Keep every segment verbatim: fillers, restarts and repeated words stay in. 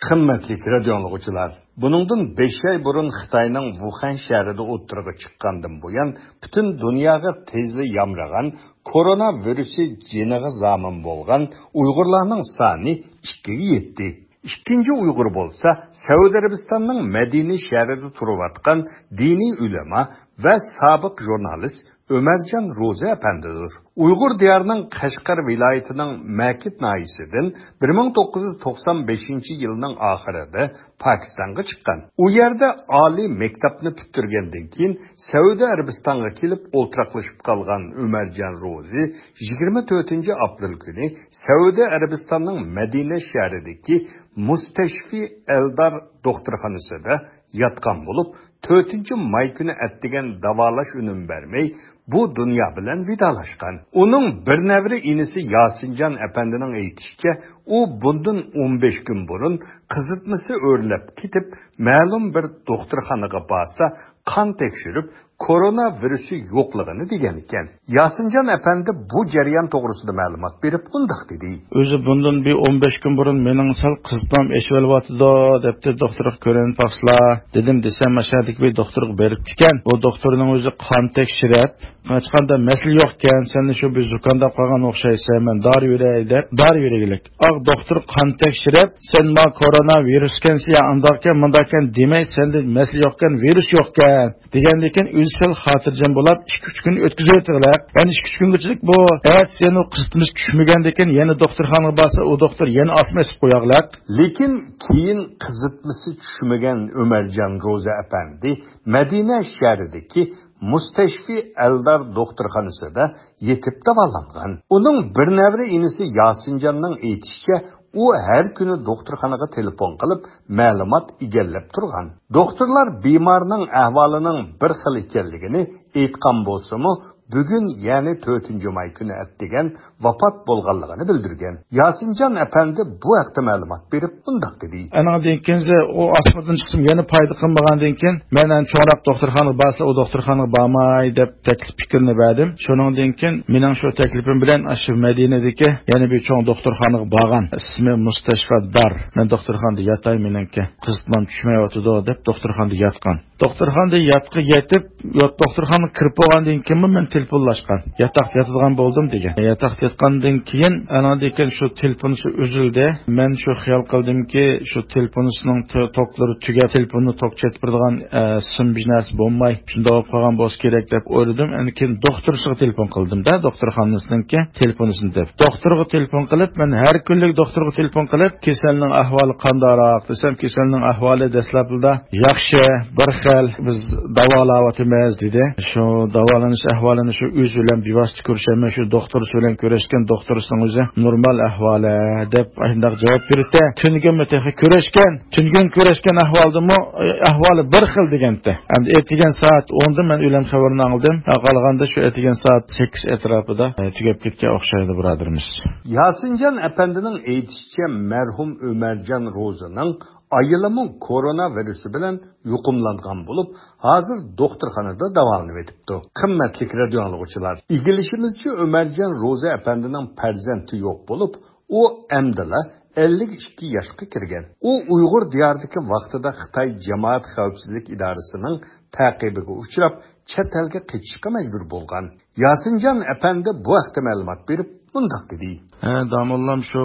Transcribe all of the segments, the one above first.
قىممەتلىك رادىيو ئاڭلىغۇچىلار، بۇنىڭدىن بەش ئاي بۇرۇن خىتاينىڭ ۋۇخەن شەھىرىدە ئوتتۇرىغا چىققاندىن بۇيان، پۈتۈن دۇنياغا تېزلا يامرىغان كورونا ۋىرۇسى جېنىغا زامىن بولغان ئۇيغۇرلارنىڭ سانى ئىككىگە يەتتى. ئىككىنچى ئۇيغۇر بولسا، سەئۇدى ئەرەبىستاننىڭ مەدىنە شەھىرىدە تۇرۇۋاتقان دىنىي ئۆلىما ۋە سابىق ژۇرنالىست ئۆمەرجان روزى ئەپەندىدۇر. ئۇيغۇر دىيارىنىڭ قەشقەر ۋىلايىتىنىڭ مەكىت ناھىيىسىدىن بىر مىڭ توققۇز يۈز توقسان بەشىنچى يىلنىڭ ئاخىرىدا پاكىستانغا چىققان. ئۇ يەردە ئالىي مەكتەپنى پۈتتۈرگەندىن كېيىن، سەئۇدى ئەرەبىستانغا كېلىپ ئولتۇراقلىشىپ قالغان ئۆمەرجان روزى يىگىرمە تۆتىنچى ئاپرېل كۈنى سەئۇدى ئەرەبىستاننىڭ مەدىنە شەھىرىدىكى مۇستەشفى ئەلدار دوختۇرخانىسىدا ياتقان بولۇپ، تۆتىنچى ماي كۈنى ئەتىگەن داۋالاش ئۈنۈم بەرمەي، بۇ دۇنيا بىلەن ۋىدالاشقان. ئۇنىڭ بىر نەۋرە ئىنىسى ياسىنجان ئەپەندىنىڭ ئېيتىشىچە، ئۇ بۇندىن ئون بەش كۈن بۇرۇن قىزىتمىسى ئۆرلەپ كېتىپ، مەلۇم بىر دوختۇرخانىغا بارسا، قان تەكشۈرۈپ، كورونا ۋىرۇسى يوقلىغىنى دېگەن ئىكەن. ياسىنجان ئەپەندى بۇ جەريان توغرىسىدا مەلۇمات بېرىپ، مۇنداق دېدى. ئۆزى بۇندىن بىر ئون بەش كۈن بۇرۇن مېنىڭ سەل قىزىتمام ئېشىۋېلىۋاتىدۇ، دەپتۇ، دوختۇرغا كۆرۈنۈپ باقسىلا، دېدىم. دېسەم، ئاشۇ يەردىكى بىر دوختۇرغا بېرىپتىكەن. بۇ دوختۇرنىڭ ئۆزى قان تەكشۈرۈپ، ھېچقانداق مەسىلە يوقكەن، سەن شۇ بىر زۇكامداپ قالغان ئوخشايسەن، مەن دارى بېرەي دەپ، دارى بېرىگلىك. ئاغ دوختۇر قان تەكشۈرۈپ، سەن ما كورونا ۋىرۇسكەنسەن يا ئانداقكەن، مۇنداقكەن دېمەي، سەندە مەسىلە يوقكەن، ۋىرۇس يوقكەن. دېگەندىكىن ئۆزى سەل خاتىرجەم بولاپ، ئىككى-ئۈچ كۈن ئۆتكۈزۈۋېتىغلەق. يەنە ئىككى-ئۈچ كۈنگىچىلىك بۇ ئەتىسى يەنە قىزىتمىسى چۈشمىگەندىكىن، يەنە دوختۇرخانىغا بارسا، ئۇ دوختۇر يەنە ئاسما ئېسىپ قوياغلەق. لېكىن كېيىن قىزىتمىسى چۈشمىگەن ئۆمەرجان روزى ئەپەندى مەدىنە شەھىرىدىكى مۇستەشفى ئەلدار دوختۇرخانىسىدا يېتىپ داۋالانغان. ئۇنىڭ بىر نەۋرە ئىنىسى ياسىنجاننىڭ ئېيتىشىچە، ئۇ ھەر كۈنى دوختۇرخانىغا تېلېفون قىلىپ، مەلۇمات ئىگىلەپ تۇرغان. دوختۇرلار بىمارنىڭ ئەھۋالىنىڭ بىر خىل ئىكەنلىكىنى ئېيتقان بولسىمۇ، بۈگۈن، يەنى تۆتىنچى ماي كۈنى ئەتىگەن ۋاپات بولغانلىقىنى بىلدۈرگەن. ياسىنجان ئەپەندى بۇ ھەقتە مەلۇمات بېرىپ، مۇنداق دېدى. ئانىڭدىن كېيىن ئۇ ئاسمىدىن چىقسىمۇ يەنە پايدا قىلمىغاندىن كېيىن، مەن ئەنە چوڭراق دوختۇرخانىغا بارسا، ئۇ دوختۇرخانىغا بارماي دەپ تەكلىپ پىكىرنى بەردىم. شۇنىڭدىن كېيىن مېنىڭ شۇ تەكلىپىم بىلەن ئاشۇ مەدىنىدىكى يەنە بىر چوڭ دوختۇرخانىغا بارغان. ئىسمى مۇستەشفا دار. مەن دوختۇرخانىدا ياتاي، مېنىڭكى قىزىتمام چۈشمەيۋاتىدۇ دەپ دوختۇرخانىدا ياتقان. دوختۇرخانىدا ياتقا يېتىپ، يات-، دوختۇرخانىغا كىرىپ بولغاندىن كېيىنمۇ مەن تېلېفونلاشقان. ياتاقتا ياتىدىغان بولدۇم دېگەن. ياتاقتا ياتقاندىن كېيىن، ئاناندىن كېيىن شۇ تېلېفونىسى ئۈزۈلدى. مەن شۇ خىيال قىلدىمكى، شۇ تېلېفونىسىنىڭ ت-، توكلىرى تۈگەپ، تېلېفوننى توك چېتىپ بېرىدىغان، ئە، سىم بىر نەرسە بولماي، شۇنداق بولۇپ قالغان بولسا كېرەك دەپ ئويلىدىم. ئەنە كېيىن دوختۇرسىغا تېلېفون قىلدىم-دە، دوختۇرخانىسىنىڭكى تېلېفونىسىنى دەپ. دوختۇرغا تېلېفون قىلىپ، مەن ھەر كۈنلۈك دوختۇرغا تېلېفون قىلىپ، كېسەلنىڭ ئەھۋالى قانداقراق دېسەم، كېسەلنىڭ ئەھۋالى دەسلەپىدە ياخشى، بىر خىل، بىز داۋالاۋاتىمىز دېدى. شۇ داۋالىنىش ئەھۋالىنى شۇ ئۆزى بىلەن بىۋاسىتە كۆرۈشەلمەي، شۇ دوختۇرسى بىلەن كۆرۈشكەن، دوختۇرسىنىڭ ئۆزى نورمال ئەھۋالى دەپ ئاشۇنداق جاۋاب بېرىپتۇ. تۈنۈگۈنمۇ تېخى كۆرۈشكەن، تۈنۈگۈن كۆرۈشكەن ئەھۋالدىمۇ، ئەھۋالى بىر خىل دېگەنتى. ئەمدى ئەتىگەن سائەت ئوندىن مەن ئۆلۈم خەۋىرىنى ئاڭلىدىم. قالغاندا شۇ ئەتىگەن سائەت سەككىز ئەتراپىدا، ئە، تۈگەپ كەتكەن ئوخشايدۇ، بۇرادىرىمىز. ياسىنجان ئەپەندىنىڭ ئېيتىشىچە، مەرھۇم ئۆمەرجان روزىنىڭ ئايالىمۇ كورونا ۋىرۇسى بىلەن يۇقۇملانغان بولۇپ، ھازىر دوختۇرخانىدا داۋالىنىۋېتىپتۇ. قىممەتلىك رادىيو ئاڭلىغۇچىلار، ئىگىلىشىمىزچە، ئۆمەرجان روزى ئەپەندىنىڭ پەرزەنتى يوق بولۇپ، ئۇ ئەمدىلا ئەللىك ئىككى ياشقا كىرگەن. ئۇ ئۇيغۇر دىيارىدىكى ۋاقتىدا خىتاي جامائەت خەۋپسىزلىك ئىدارىسىنىڭ تەقىبىگە ئۇچراپ، چەت ئەلگە قېچىشقا مەجبۇر بولغان. ياسىنجان ئەپەندى بۇ ھەقتە مەلۇمات بېرىپ، مۇنداق دېدى. ھە، داموللام شۇ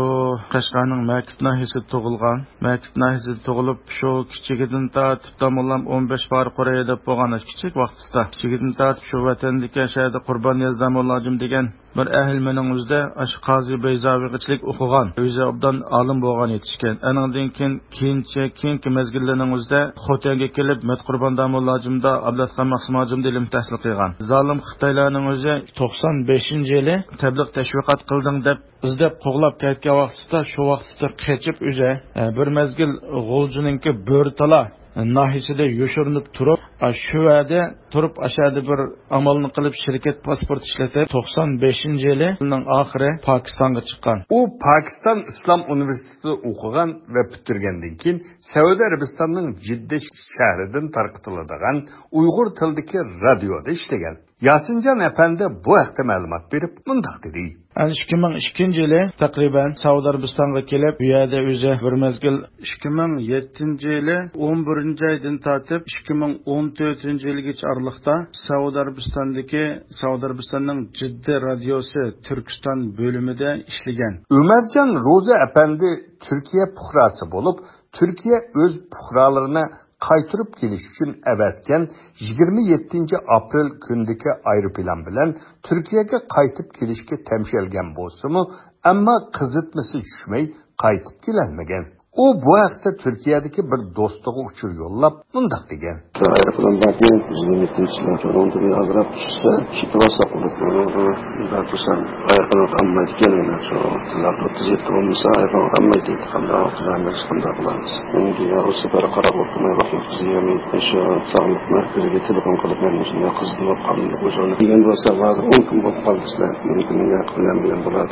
قەشقەرنىڭ مەكىت ناھىيەسىدە تۇغۇلغان. مەكىت ناھىيەسىدە تۇغۇلۇپ، شۇ كىچىكىدىن تارتىپ داموللام ئون بەش پارە قۇرۇي دەپ بولغان كىچىك ۋاقتىسىدا. كىچىكىدىن تارتىپ شۇ ۋەتەندىكى شەھەردە قۇربان نىياز داموللاجىم دېگەن بىر ئەھلىمنىڭ ئۆزىدە ئاشۇ قازى بەيزاۋىغىچىلىك ئوقۇغان، ئۆزى ئوبدان ئالىم بولغان يېتىشكەن. ئەنىڭدىن كېيىن، كېيىنچە، كېيىنكى مەزگىللەرنىڭ ئۆزىدە خوتەنگە كېلىپ، مەتقۇربان داموللاجىمدا، ئابلەتخان مەخسۇماجىمدا ئىلىم تەھسىل قىلغان. زالىم خىتايلارنىڭ ئۆزى توقسان بەشىنچى يىلى تەبلىغ تەشۋىقات قىلدىڭ دەپ ئىزدەپ قوغلاپ كەتكەن ۋاقتىدا، شۇ ۋاقتىدا قېچىپ ئۆزى، ئە، بىر مەزگىل غۇلجىنىڭكى بۆرىتالا ناھىيەسىدە يوشۇرۇنۇپ تۇرۇپ، ئا، شۇ يەردە تۇرۇپ، ئاشۇ يەردە بىر ئامالنى قىلىپ، شىركەت پاسپورت ئىشلىتىپ، توقسان بەشىنچى يىلىنىڭ ئاخىرى پاكىستانغا چىققان. ئۇ پاكىستان ئىسلام ئۇنىۋېرسىتېتىدا ئوقۇغان ۋە پۈتتۈرگەندىن كېيىن، سەئۇدى ئەرەبىستاننىڭ جىددە شەھىرىدىن تارقىتىلىدىغان ئۇيغۇر تىلىدىكى رادىيودا ئىشلىگەن. ياسىنجان ئەپەندى بۇ ھەقتە مەلۇمات بېرىپ مۇنداق دېدى. ئەنە ئىككى مىڭ ئىككىنچى يىلى تەقرىبەن سەئۇدى ئەرەبىستانغا كېلىپ، بۇ يەردە ئۆزى بىر مەزگىل. ئىككى مىڭ يەتتىنچى يىلى ئون بىرىنچى ئايدىن تارتىپ ئىككى مىڭ ئون تۆتىنچى يىلىگىچە ئارىلىقتا سەئۇدى ئەرەبىستاندىكى، سەئۇدى ئەرەبىستاننىڭ جىددە رادىيوسى تۈركىستان بۆلۈمىدە ئىشلىگەن. ئۆمەرجان روزى ئەپەندى تۈركىيە پۇقراسى بولۇپ، تۈركىيە ئۆز پۇقرالىرىنى قايتۇرۇپ كېلىش ئۈچۈن ئەۋەتكەن يىگىرمە يەتتىنچى ئاپرېل كۈنىدىكى ئايروپىلان بىلەن تۈركىيەگە قايتىپ كېلىشكە تەمشەلگەن بولسىمۇ، ئەمما قىزىتمىسى چۈشمەي قايتىپ كېلەلمىگەن. ئۇ بۇ ھەقتە تۈركىيەدىكى بىر دوستىغا ئۇچۇر يوللاپ مۇنداق دېگەن. ئايروپىلان باركەن، يىگىرمە يەتتىنچى يىلى ئۇنىڭدىن ئازراق چۈشسە، كېتىۋالسا قىلىپ، ئۇنىڭغا ئۇنداق قىلسام ئاياققا ئالمايدىكەن، ئەنە شۇ تىللاپ ئۆتكۈزۈۋېتىپ بولمىسا ئاياققا ئالمايدۇ. قانداق قىلىمىز، قانداق قىلىمىز؟ ئۇنىڭ دېگەن ئۇ سەپەر قاراپ ئولتۇرماي ۋاقىت ئۆتكۈزۈپ يۈرمەي، شۇ ساغلىق مەركىزىگە تېلېفون قىلىپ، مەن مۇشۇنداق قىزىتىپ قالدىم دېگەن بولسا، ھازىر ئون كۈن بولۇپ قالدى سىلەر. مۇمكىن ياقى بىلەن بىلەن بولار.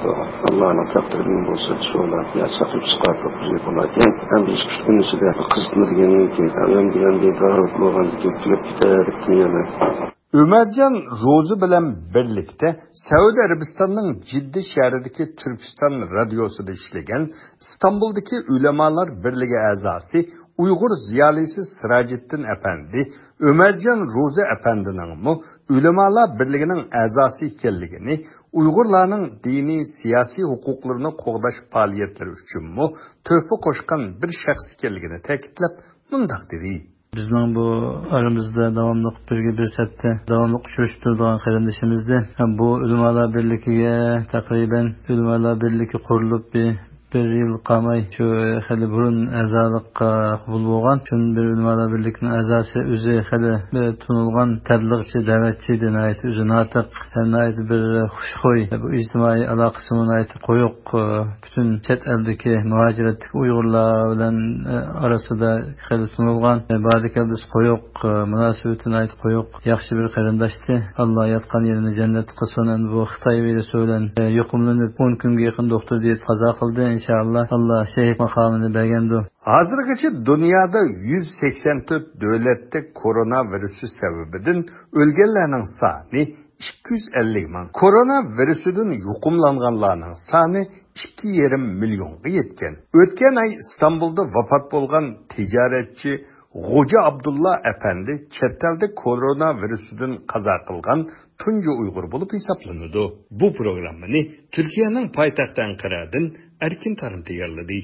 ئاللانىڭ تەقدىرى بىلەن بولسا، شۇلار يا چاقىرىپ چىقارىپ قويۇپ بولاركەن. ھەم بىر ئىككى ئۈچ كۈن ئىچىدە قىزىتما دېگەندىن كېيىن، ئەلەم دېگەندىن داۋا بولغاندىن كېيىن تۈگەپ كېتەر دەپ تۇرىمەن. ئۆمەرجان روزى بىلەن بىرلىكتە سەئۇدى ئەرەبىستاننىڭ جىددە شەھىرىدىكى تۈركىستان رادىيوسىدا ئىشلىگەن ئىستانبۇلدىكى ئۆلىمالار بىرلىكى ئەزاسى، ئۇيغۇر زىيالىيسى سىراجىددىن ئەپەندى، ئۆمەرجان روزى ئەپەندىنىڭمۇ ئۆلىمالار بىرلىكىنىڭ ئەزاسى ئىكەنلىكىنى، ئۇيغۇرلارنىڭ دىنىي، سىياسىي ھوقۇقلىرىنى قوغداش پائالىيەتلىرى ئۈچۈنمۇ تۆھپە قوشقان بىر شەخس ئىكەنلىكىنى تەكىتلەپ، مۇنداق دېدى. بىزنىڭ بۇ ئارىمىزدا داۋاملىق بىرگە بىر سەپتە داۋاملىق ئۇچرىشىپ تۇرىدىغان قېرىندىشىمىزدى. ھەم بۇ ئۆلىمالار بىرلىكىگە تەقرىبەن ئۆلىمالار بىرلىكى قۇرۇلۇپ بىر، بىر يىل قالماي شۇ خېلى بۇرۇن ئەزالىققا قوبۇل بولغان. شۇندىن بېرى ئۆلىمالار بىرلىكىنىڭ ئەزاسى، ئۆزى خېلى بىر تونۇلغان تەبلىغچى، دەۋەتچى ئىدى، ناھايىتى ئۆزى ناتىق، ھەم ناھايىتى بىر خۇشخۇي، بۇ ئىجتىمائىي ئالاقىسىمۇ ناھايىتى قويۇق. پۈتۈن چەت ئەلدىكى مۇھاجىرەتتىكى ئۇيغۇرلار بىلەن، ئە، ئارىسىدا خېلى تونۇلغان، ئە، بارىدىكەلدىسى قويۇق، ئە، مۇناسىۋىتى ناھايىتى قويۇق، ياخشى بىر قېرىنداشتى. ئاللا ياتقان يېرىنى جەننەت قىلسۇن. ئەمدى بۇ خىتاي ۋىرۇسى بىلەن، ئە، يۇقۇملىنىپ، ئون كۈنگە يېقىن دوختۇر دېيىتىپ قازا قىلدى. ئىنشائاللا، ئاللا شېھىت ماقامىنى بەرگەندۇ. ھازىرغىچە دۇنيادا يۈز سەكسەن تۆت دۆلەتتە كورونا ۋىرۇسى سەۋەبىدىن ئۆلگەنلەرنىڭ سانى ئىككى يۈز ئەللىك مىڭ، كورونا ۋىرۇسىدىن يۇقۇملانغانلارنىڭ سانى ئىككى يېرىم مىليونغا يەتكەن. ئۆتكەن ئاي ئىستانبۇلدا ۋاپات بولغان تىجارەتچى غوجا ئابدۇللا ئەپەندى چەت ئەلدە كورونا ۋىرۇسىدىن قازا قىلغان تۇنجى ئۇيغۇر بولۇپ ھېسابلىنىدۇ. بۇ پروگراممىنى تۈركىيەنىڭ پايتەختى ئەنقەرەدىن ئەركىن تارىم تەييارلىدى.